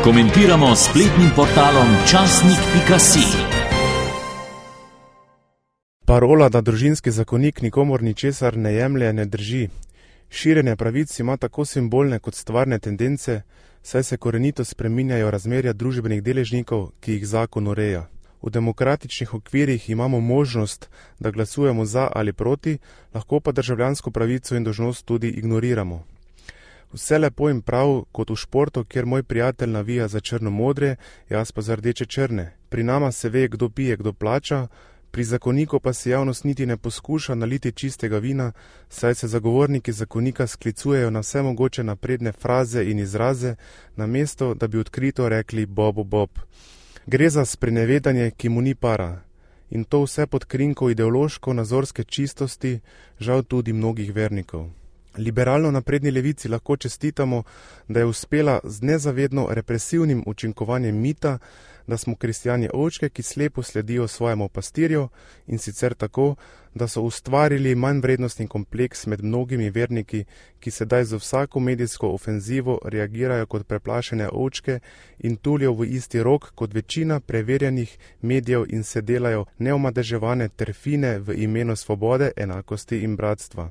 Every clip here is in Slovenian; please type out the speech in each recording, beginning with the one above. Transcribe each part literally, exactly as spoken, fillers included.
Komentiramo s spletnim portalom časnik pika si. Parola, da družinski zakonik nikomur ničesar ne jemlje, ne drži. Širjenje pravic ima tako simbolne kot stvarne tendence, saj se korenito spreminjajo razmerja družbenih deležnikov, ki jih zakon ureja. V demokratičnih okvirih imamo možnost, da glasujemo za ali proti, lahko pa državljansko pravico in dolžnost tudi ignoriramo. Vse lepo in prav, kot v športu, kjer moj prijatelj navija za črno-modre, jaz pa za rdeče-črne. Pri nama se ve, kdo pije, kdo plača, pri zakoniku pa se javnost niti ne poskuša naliti čistega vina, saj se zagovorniki zakonika sklicujejo na vse mogoče napredne fraze in izraze, namesto da bi odkrito rekli bobo bob. Gre za sprenevedanje, ki mu ni para. In to vse pod krinko ideološko-nazorske čistosti, žal tudi mnogih vernikov. Liberalno napredni levici lahko čestitamo, da je uspela z nezavedno represivnim učinkovanjem mita, da smo kristjani ovčke, ki slepo sledijo svojemu pastirju, in sicer tako, da so ustvarili manjvrednostni kompleks med mnogimi verniki, ki sedaj z vsako medijsko ofenzivo reagirajo kot preplašene ovčke in tulijo v isti rok kot večina preverjenih medijev in se delajo neomadeževane terfine v imenu svobode, enakosti in bratstva.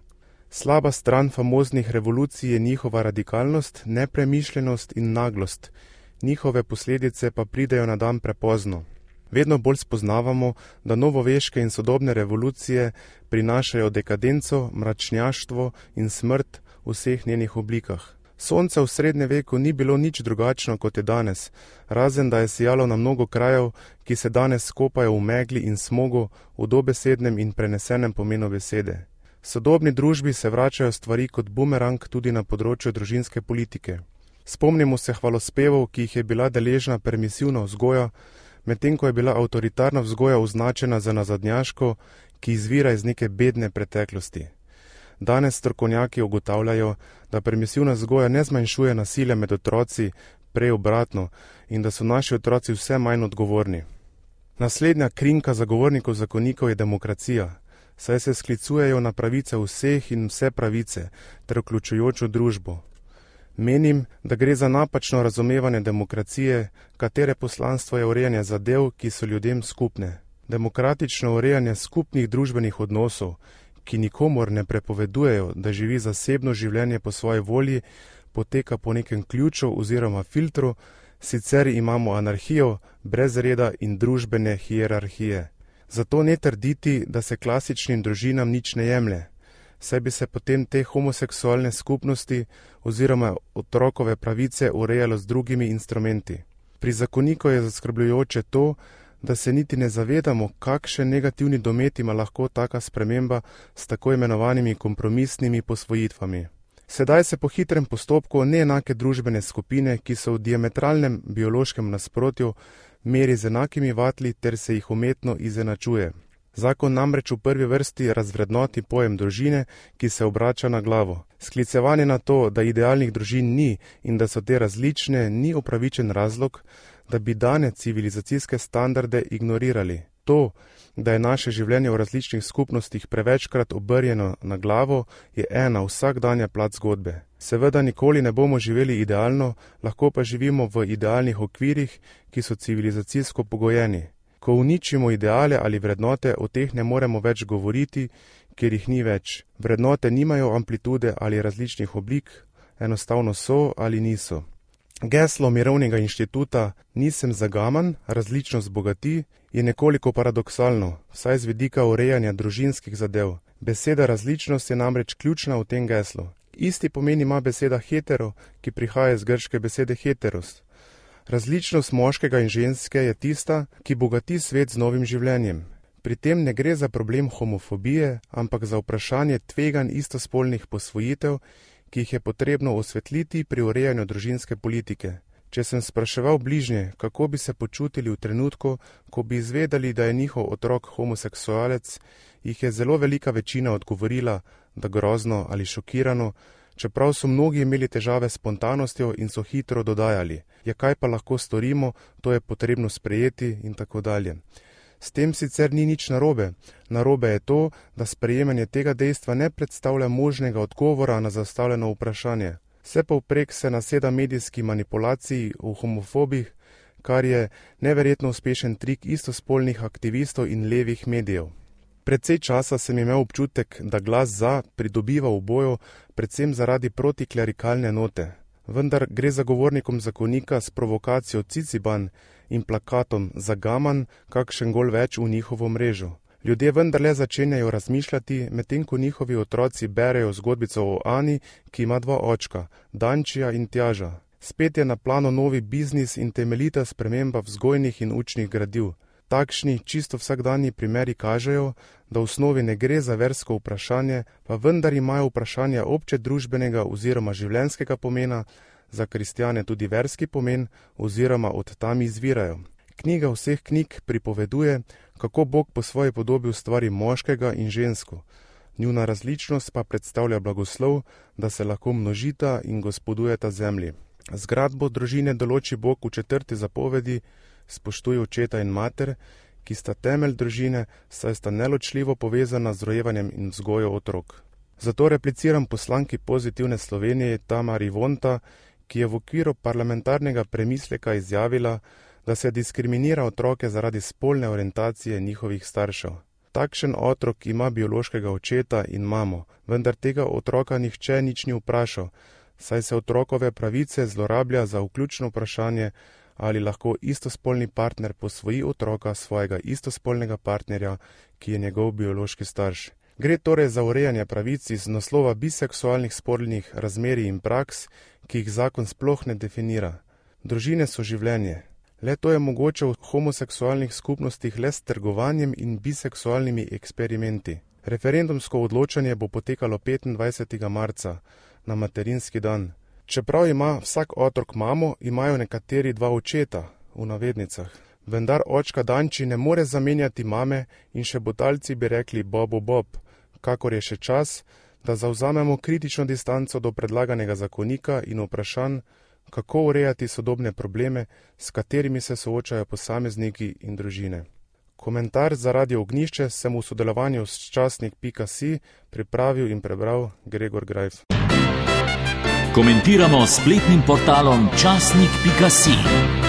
Slaba stran famoznih revolucij je njihova radikalnost, nepremišljenost in naglost. Njihove posledice pa pridejo na dan prepozno. Vedno bolj spoznavamo, da novoveške in sodobne revolucije prinašajo dekadenco, mračnjaštvo in smrt v vseh njenih oblikah. Sonce v srednjem veku ni bilo nič drugačno kot je danes, razen da je sijalo na mnogo krajev, ki se danes skopajo v megli in smogu v dobesednem in prenesenem pomenu besede. V sodobni družbi se vračajo stvari kot bumerang tudi na področju družinske politike. Spomnimo se hvalospevov, ki jih je bila deležna permisivna vzgoja, medtem ko je bila avtoritarna vzgoja označena za nazadnjaško, ki izvira iz neke bedne preteklosti. Danes strokovnjaki ugotavljajo, da permisivna vzgoja ne zmanjšuje nasilja med otroci, prej obratno, in da so naši otroci vse manj odgovorni. Naslednja krinka zagovornikov zakonikov je demokracija, saj se sklicujejo na pravice vseh in vse pravice, ter vključujočo družbo. Menim, da gre za napačno razumevanje demokracije, katere poslanstvo je urejanje zadev, ki so ljudem skupne. Demokratično urejanje skupnih družbenih odnosov, ki nikomor ne prepovedujejo, da živi zasebno življenje po svoji volji, poteka po nekem ključu oziroma filtru, sicer imamo anarhijo, brez reda in družbene hierarhije. Zato ne trditi, da se klasičnim družinam nič ne jemlje, saj bi se potem te homoseksualne skupnosti oziroma otrokove pravice urejalo z drugimi instrumenti. Pri zakoniku je zaskrbljujoče to, da se niti ne zavedamo, kakšen negativni domet ima lahko taka sprememba s tako imenovanimi kompromisnimi posvojitvami. Sedaj se po hitrem postopku neenake družbene skupine, ki so v diametralnem biološkem nasprotju, meri z enakimi vatli ter se jih umetno izenačuje. Zakon namreč v prvi vrsti razvrednoti pojem družine, ki se obrača na glavo. Sklicevanje na to, da idealnih družin ni in da so te različne, ni upravičen razlog, da bi dane civilizacijske standarde ignorirali. To, da je naše življenje v različnih skupnostih prevečkrat obrnjeno na glavo, je ena vsakdanja plat zgodbe. Seveda nikoli ne bomo živeli idealno, lahko pa živimo v idealnih okvirih, ki so civilizacijsko pogojeni. Ko uničimo ideale ali vrednote, o teh ne moremo več govoriti, ker jih ni več. Vrednote nimajo amplitude ali različnih oblik, enostavno so ali niso. Geslo Mirovnega inštituta Nisem zagaman, različnost bogati je nekoliko paradoksalno, vsaj z vidika urejanja družinskih zadev. Beseda različnost je namreč ključna v tem geslu. Isti pomen ima beseda hetero, ki prihaja iz grške besede heteros. Različnost moškega in ženske je tista, ki bogati svet z novim življenjem. Pri tem ne gre za problem homofobije, ampak za vprašanje tveganj istospolnih posvojitev, ki jih je potrebno osvetliti pri urejanju družinske politike. Če sem spraševal bližnje, kako bi se počutili v trenutku, ko bi izvedeli, da je njihov otrok homoseksualec, jih je zelo velika večina odgovorila, da grozno ali šokirano, čeprav so mnogi imeli težave s spontanostjo in so hitro dodajali, ja kaj pa lahko storimo, to je potrebno sprejeti in tako dalje. S tem sicer ni nič narobe. Narobe je to, da sprejemanje tega dejstva ne predstavlja možnega odgovora na zastavljeno vprašanje. Vse povprek se naseda medijski manipulaciji o homofobih, kar je neverjetno uspešen trik istospolnih aktivistov in levih medijev. Precej časa sem imel občutek, da glas za pridobiva v boju predvsem zaradi protiklerikalne note. Vendar gre zagovornikom zakonika s provokacijo Ciciban in plakatom Zagaman kakšen gol več v njihovo mrežo. Ljudje vendarle začenjajo razmišljati, medtem ko njihovi otroci berejo zgodbico o Ani, ki ima dva očka, Dančija in Tjaža. Spet je na planu novi biznis in temeljita sprememba vzgojnih in učnih gradiv. Takšni, čisto vsakdanji primeri kažejo, da v osnovi ne gre za versko vprašanje, pa vendar imajo vprašanja obče družbenega oziroma življenjskega pomena, za kristjane tudi verski pomen oziroma od tam izvirajo. Knjiga vseh knjig pripoveduje, kako Bog po svoji podobi ustvari moškega in žensko. Njuna različnost pa predstavlja blagoslov, da se lahko množita in gospodujeta zemlji. Zgradbo družine določi Bog v četrti zapovedi, spoštuje očeta in mater, ki sta temelj družine, saj sta neločljivo povezana z rojevanjem in vzgojo otrok. Zato repliciram poslanki Pozitivne Slovenije Tamari Vonta, ki je v okviru parlamentarnega premisleka izjavila, da se diskriminira otroke zaradi spolne orientacije njihovih staršev. Takšen otrok ima biološkega očeta in mamo, vendar tega otroka nihče nič ni vprašal, saj se otrokove pravice zlorablja za vključno vprašanje, ali lahko istospolni partner posvoji otroka svojega istospolnega partnerja, ki je njegov biološki starš. Gre torej za urejanje pravic iz naslova biseksualnih spolnih razmerij in praks, ki jih zakon sploh ne definira. Družine so življenje. Le to je mogoče v homoseksualnih skupnostih le s trgovanjem in biseksualnimi eksperimenti. Referendumsko odločanje bo potekalo petindvajsetega marca, na materinski dan. Čeprav ima vsak otrok mamo, imajo nekateri dva očeta, v navednicah. Vendar očka Danči ne more zamenjati mame in še botalci bi rekli bobo bob, kakor je še čas, da zavzamemo kritično distanco do predlaganega zakonika in vprašanj, kako urejati sodobne probleme, s katerimi se soočajo posamezniki in družine. Komentar za Radio Ognjišče sem v sodelovanju s časnik pika si pripravil in prebral Gregor Grajf. Komentiramo s spletnim portalom časnik pika si.